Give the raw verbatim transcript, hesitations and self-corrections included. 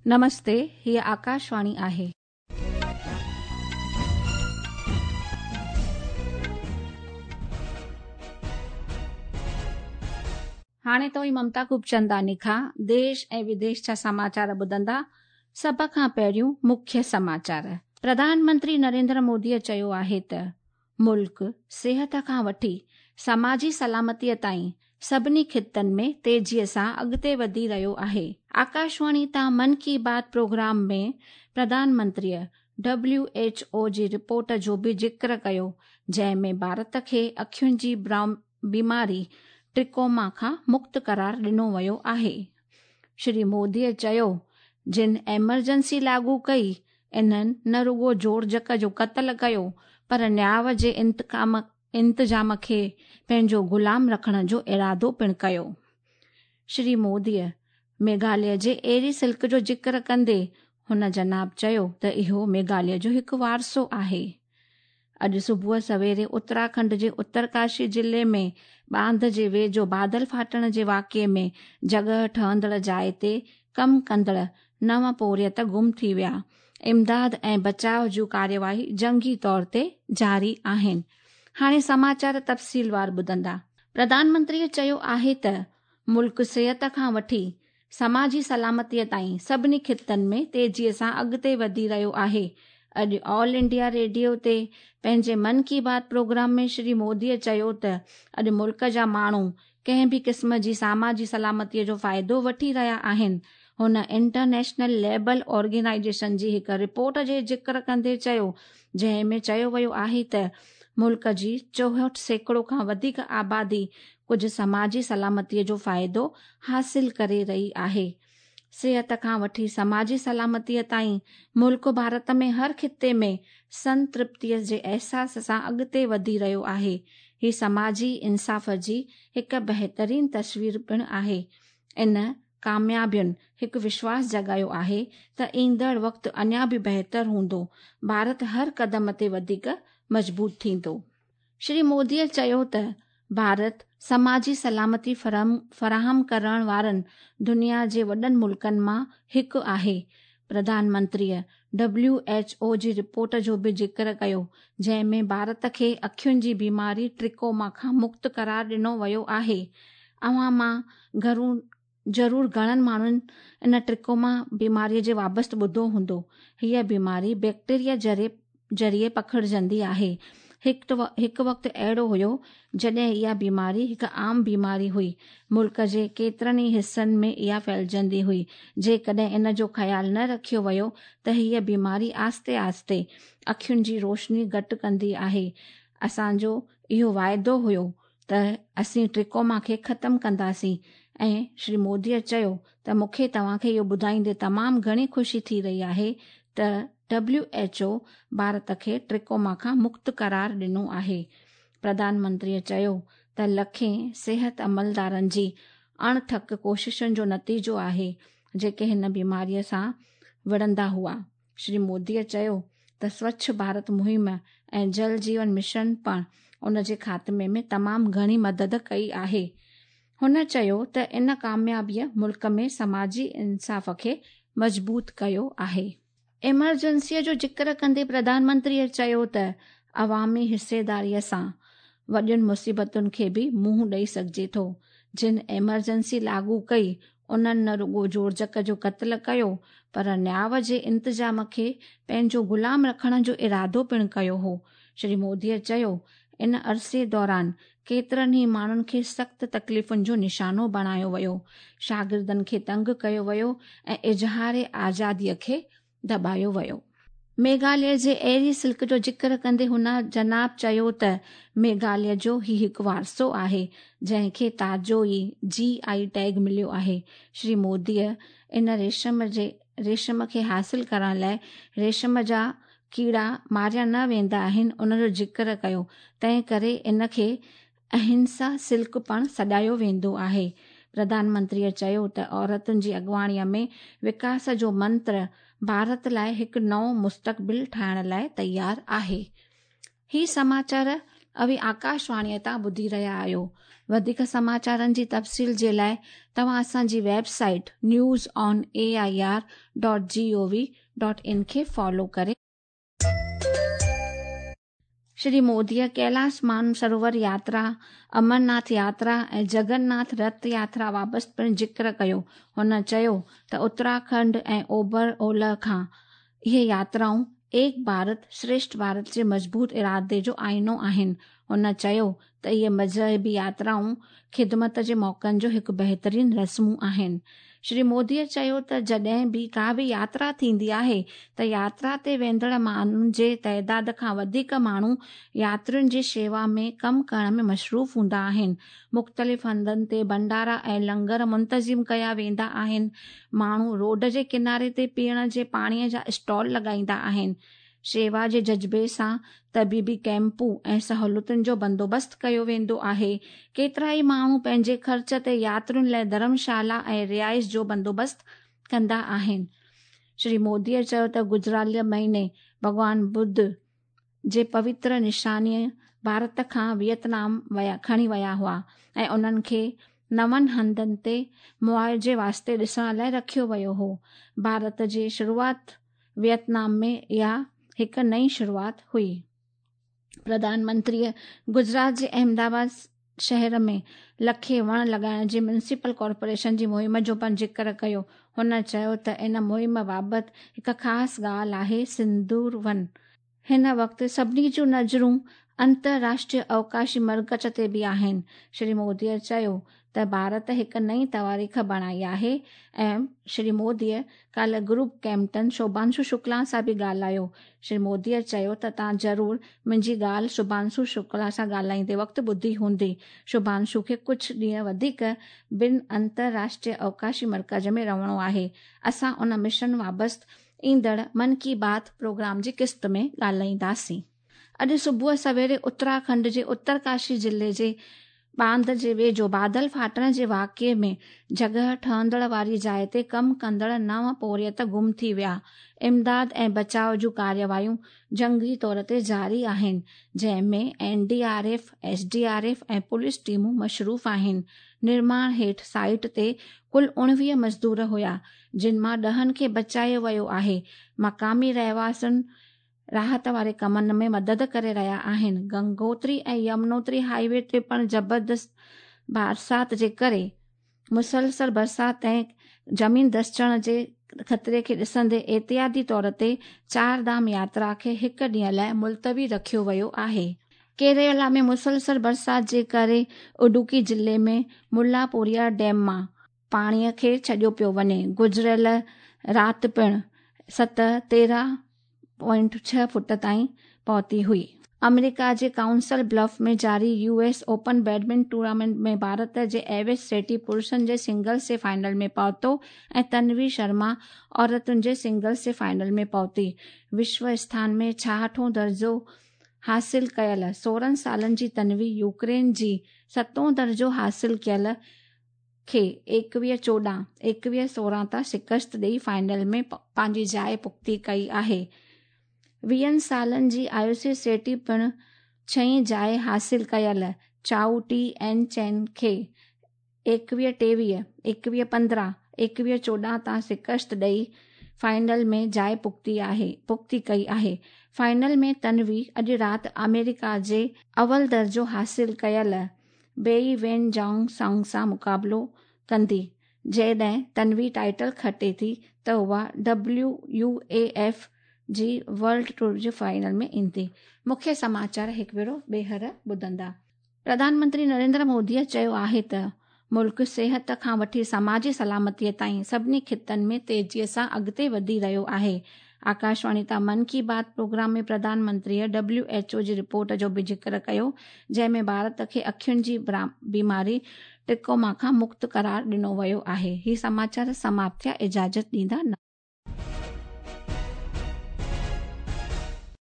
नमस्ते, हीअ आकाशवाणी आहे। हाणे तो ममता खूबचंदानी खां देश ऐं विदेश जा समाचार ॿुधंदा। सभ खां पहिरियों मुख्य समाचार। प्रधानमंत्री नरेंद्र मोदीअ चयो आहे त मुल्क सिहत खां वठी समाजी सलामतीअ ताईं सभिनी ख़ितनि में तेज़ीअ सां अॻिते वधी रहियो आहे। आकाशवाणी तां मन की बात प्रोग्राम में प्रधानमंत्रीअ डब्ल्यू एच ओ जी रिपोर्ट जो बि ज़िक्र कयो, जंहिं में भारत खे अखियुनि जी बीमारी ट्रिकोमा खां मुक्त करार ॾिनो वियो आहे। श्री मोदीअ चयो, जिन एमरजेंसी लागू कई, इन्हनि न रुगो जोड़जक जो क़तल कयो, पर न्याव जे इंतकाम इंतज़ाम खे पंहिंजो ग़ुलाम रखण जो इरादो पिणु कयो। श्री मोदीअ मेघालय जे एरी सिल्क जो ज़िक्र कंदे हुन जनाब चयो त इहो मेघालय जो हिकु वारसो आहे। अॼु सुबुह सवेरे उत्तराखंड जे उत्तरकाशी ज़िले में बांध जे वेझो बादल फाटण जे वाक़िए में जॻह ठहंदड़ जाइ ते कमु कंदड़ नव पोरियत गुम थी विया। इमदाद ऐं बचाव जूं कार्यवाही जंगी तौर ते जारी आहिनि। हाणे समाचार तफ़सीलवार ॿुधंदा। प्रधानमंत्रीअ चयो आहे त मुल्क सिहत खां वठी समाजी सलामतीअ ताईं सभिनी ख़ितनि में तेज़ीअ सां अॻिते वधी रहियो आहे। अॼु ऑल इंडिया रेडियो ते पंहिंजे मन की बात प्रोग्राम में श्री मोदीअ चयो त अॼु मुल्क जा माण्हू कंहिं बि क़िस्म जी समाजी सलामतीअ जो फ़ाइदो वठी रहिया आहिनि। हुन इंटरनेशनल लेबल ऑर्गेनाइजेशन जी हिकु रिपोर्ट जे ज़िक्र कंदे चयो, जंहिं में चयो वियो आहे त मुल्क जी चोहठि सैकड़ो खां वधीक आबादी कुझु समाजी सलामतीअ जो फ़ाइदो हासिल करे रही आहे। सिहत खां वठी समाजी सलामतीअ ताईं मुल्क भारत में हर ख़िते में संतृप्तीअ जे अहसास सां अॻिते वधी रहियो आहे। हीअ समाजी इंसाफ़ जी हिकु बहितरीन तस्वीर पिणु आहे। इन कामयाबियुनि हिकु विश्वास जॻायो आहे त ईंदड़ वक़्तु अञा बि बहितर हूंदो। भारत हर क़दम ते वधीक मज़बूत थींदो। श्री मोदीअ चयो त भारत समाजी सलामती फराहम फराहम करण वारनि दुनिया जे वॾनि मुल्कनि मां हिकु आहे। प्रधानमंत्रीअ डब्ल्यू एच ओ जी रिपोर्ट जो बि ज़िक्र कयो, जंहिं में भारत खे अखियुनि जी बीमारी ट्रिकोमा खां मुक्त करार ॾिनो वियो आहे। अव्हां मां घरू ज़रूरु घणनि माण्हुनि इन ट्रिकोमा बीमारीअ जे वाबस्ते ॿुधो हूंदो। हीअ बीमारी बैक्टीरिया ज़रिए ज़रिए पखिड़जंदी आहे। हिकु वक़्तु अहिड़ो हुयो जॾहिं इहा बीमारी हिकु आम बीमारी हुई। मुल्क जे केतिरनि ई हिसनि में इहा फैलिजंदी हुई। जेकॾहिं इन जो ख़्यालु न रखियो वियो त हीअ बीमारी आहिस्ते आहिस्ते अखियुनि जी रोशनी घटि कंदी आहे। असांजो इहो वाइदो हुयो त असीं ट्रिकोमा खे ख़तमु कंदासीं ऐं श्री मोदीअ चयो त मूंखे तव्हांखे इहो ॿुधाईंदे तमामु घणी ख़ुशी थी रही आहे त डब्ल्यू एच ओ भारत खे ट्रिकोमा खां मुक्त करार ॾिनो आहे। प्रधानमंत्रीअ चयो त लखें सिहत अमलदारनि जी अणथक कोशिशुनि जो नतीजो आहे, जेके हिन बीमारीअ सां विढ़ंदा हुआ। श्री मोदीअ चयो त स्वच्छ भारत मुहिम ऐं जल जीवन मिशन पण उन जे ख़ात्मे में तमामु घणी मदद कई आहे। हुन चयो त इन कामयाबीअ मुल्क में समाजी इंसाफ़ खे मज़बूत कयो आहे। एमरजेंसीअ जो ज़िक्र कंदे प्रधानमंत्रीअ चयो त अवामी हिसेदारीअ सां वॾियुनि मुसीबतुनि खे बि मुंहुं ॾेई सघिजे थो। जिन एमरजेंसी लागू कई, उन्हनि न रुगो जोड़जक जो क़तल कयो, पर न्याव जे इंतज़ाम खे पंहिंजो ग़ुलाम रखण जो इरादो पिणु कयो हो। श्री मोदीअ चयो, इन अरसे दौरान केतिरनि ई माण्हुनि खे सख़्तु तकलीफ़ुनि जो निशानो बणायो वियो, शागिर्दनि खे तंग कयो वियो ऐं इज़हार आज़ादीअ खे दॿायो वियो। मेघालय जे एरी सिल्क जो ज़िक्र कंदे हुन जनाब चयो त मेघालय जो हीअ हिकु वारसो आहे, जंहिंखे ताज़ो ई जी I tag मिलियो आहे। श्री मोदीअ इन रेशम जे रेशम खे हासिल करण लाइ रेशम जा कीड़ा मारिया न वेंदा आहिनि, उन जो ज़िक्र कयो, तंहिं करे इन खे अहिंसा सिल्क पिणु सॾायो वेंदो आहे। प्रधानमंत्रीअ चयो त औरतुनि जी अॻुवाणीअ में विकास जो मंत्र भारत लाइ हिकु नओं मुस्तक़बिल ठाहिण लाइ तयारु आहे। ही समाचार اوهين آڪاشواڻيءَ تان ٻڌي رهيا آهيو. وڌيڪ سماچارن جي تفصيل جي لاءِ توهان اسان جي website news on A I R dot G O V dot in کي فالو ڪري. شري موديءَ ڪيلاش مانسروور ياترا، امرناٿ ياترا ۽ جگناٿ رٿ ياترا بابت پڻ ذڪر ڪيو. هن چيو ته اتراکنڊ ۽ اوڀر اولهه کان اهي ياترائون ايڪ ڀارت شريشٺ ڀارت جي مضبوط ارادي جو آئينو آهن. هن چيو ته اهي مذهبي ياترائون خدمت جي موقعن جو هڪ بهترين رسمون آهن. شري موديءَ چيو ته جڏهن به ڪا به ياترا ٿيندي آهي ته ياترا تي ويندڙ ماڻهن جي تعداد کان وڌيڪ ماڻهو ياترين جي شيوا ۾ ڪم ڪرڻ ۾ مصروف هوندا آهن. مختلف هنڌن تي ڀنڊارا ۽ لنگر منتظم ڪيا ويندا آهن. ماڻهو روڊ جي ڪناري تي پيئڻ جي پاڻيءَ جا اسٽال لڳائيندا آهن. شيوا جي جذبي سان طبيبي ڪيمپون ۽ سهولتن جو بندوبست ڪيو ويندو آهي. ڪيترا ئي ماڻهو پنهنجي خرچ تي ياترين لاءِ ڌرمشالا ۽ رهائش جو بندوبست ڪندا آهن. شري موديءَ چيو ته گذريل مهيني ڀڳوان ٻڌ جي پوتر نشانيءَ ڀارت کان ويٽنام ويا کڻي ويا هئا ۽ انهن کي نون هنڌن تي معاوضي واسطي ڏسڻ لاءِ رکيو ويو هو. ڀارت جي شروعات ويٽنام ۾ اها هڪ نئين شروعات هئي. پرڌان منتريءَ گجرات جي احمدآباد شهر ۾ لکين وڻ لڳائڻ جي ميونسپل ڪارپوريشن جي مهم جو پڻ ذڪر ڪيو. هن چيو ته ان مهم بابت هڪ خاص ڳالهه آهي سندور ون. هن وقت سڀني جون نظرون انترراشٽريه اوڪاشي مرڪز تي به آهن. شري موديءَ چيو ته ڀارت هڪ نئين تواريخ بڻائي آهي ۽ شري موديءَ ڪالهه گروپ ڪيپٽن شڀانشو شڪلا سان به ڳالهايو. شري موديءَ چيو ته توهان ضرور منهنجي ڳالهه شڀانشو شڪلا سان ڳالهائيندي وقت ٻڌي هوندي. شڀانشو کي ڪجهه ڏينهن وڌيڪ ٻن انترراشٽريه اوڪاشي مرڪز ۾ رهڻو آهي. اسان ان مشن بابت ايندڙ من ڪي بات پروگرام جي قسط ۾ ڳالهائينداسين. اڄ صبح سويري اتراکنڊ جي اترڪاشي ضلعي جي باند جي ويجهو بادل ڦاٽڻ جي واقعي ۾ جڳهه ٺهندڙ واري جاءِ تي ڪم ڪندڙ نو پورهيت گم ٿي ويا. امداد ۽ بچاءُ جون ڪارروايون جنگي طور تي جاري آهن، جنهن ۾ N D R F, S D R F ۽ police ٽيمون مصروف آهن. نرماڻ هيٺ سائيٽ تي ڪل اڻويهه مزدور هئا، جن مان ڏهن کي بچايو ويو آهي. مقامي رهواسين راحت واري ڪمن ۾ مدد ڪري رهيا آهن. گنگوتري ۽ يمنوتري هاءِ وي تي پڻ زبردست برسات جي ڪري مسلسل برسات ۽ زمين ڌسجڻ جي خطري کي ڏسندي احتياطي طور تي چار ڌام ياترا کي هڪ ڏينهن لاءِ ملتوي رکيو ويو آهي. ڪيرالا ۾ مسلسل برسات جي ڪري اڊوڪي ضلعي ۾ ملاپوريا ڊيم مان پاڻيءَ کي ڇڏيو پيو وڃي. گذريل رات پڻ سطح تيرهن پوائنٽ ڇهه فوٽ تائين پهتي هئي. آمريڪا جي ڪائونسل بلف ۾ جاري U S open badminton tournament ۾ Bharat جي ايويش شيٽي پرشن جي سنگلز جي فائنل ۾ پهتو ۽ تنوي شرما عورتن جي سنگلز جي فائنل ۾ پهتي. وشو اسٿان ۾ ڇاهٺون درجو حاصل ڪيل سورهن سالن جي تنوي يوڪرين جي ستون درجو حاصل ڪيل کي ايڪويهه چوڏهن ايڪويهه سورهن تان شڪست ڏيئي فائنل ۾ پنهنجي جاءِ پختي ڪئي آهي. ويهن سالن جي آيوشي شيٽي پڻ ڇهين جاءِ حاصل ڪيل چائو ٽي اين چين کي ايڪويهه ٽيويهه ايڪويهه پندرهن ايڪويهه چوڏهن تان شڪست ڏيئي فائنل ۾ جاءِ پختي آهي پختي ڪئي آهي. فائنل ۾ تنوي اڄ رات آمريڪا جي اول درجو حاصل ڪيل بيئي وين جانگ سانگ سان مقابلو ڪندي. جڏهن تنوي ٽائيٽل کٽي ٿي ته اها ڊبليو يو اي ايف جي ورلڊ ٽوئر جي فائنل ۾ ايندي. مکيه سماچار هڪ ڀيرو ٻيهر ٻڌندا. پرڌان منتري نريندر موديءَ چيو آهي ته ملڪ صحت کان وٺي سماجي سلامتيءَ تائين سڀني خطن ۾ تيزيءَ سان اڳتي وڌي رهيو آهي. آڪاشواڻي تان من ڪي بات پروگرام ۾ پرڌان منتريءَ ڊبليو ايڇ او جي رپورٽ جو به ذڪر ڪيو، جنهن ۾ ڀارت کي اکين جي بيماري ٽرڪوما کان مڪت قرار ڏنو ويو آهي. هي سماچار سماپت ٿيا. اجازت ڏيندا.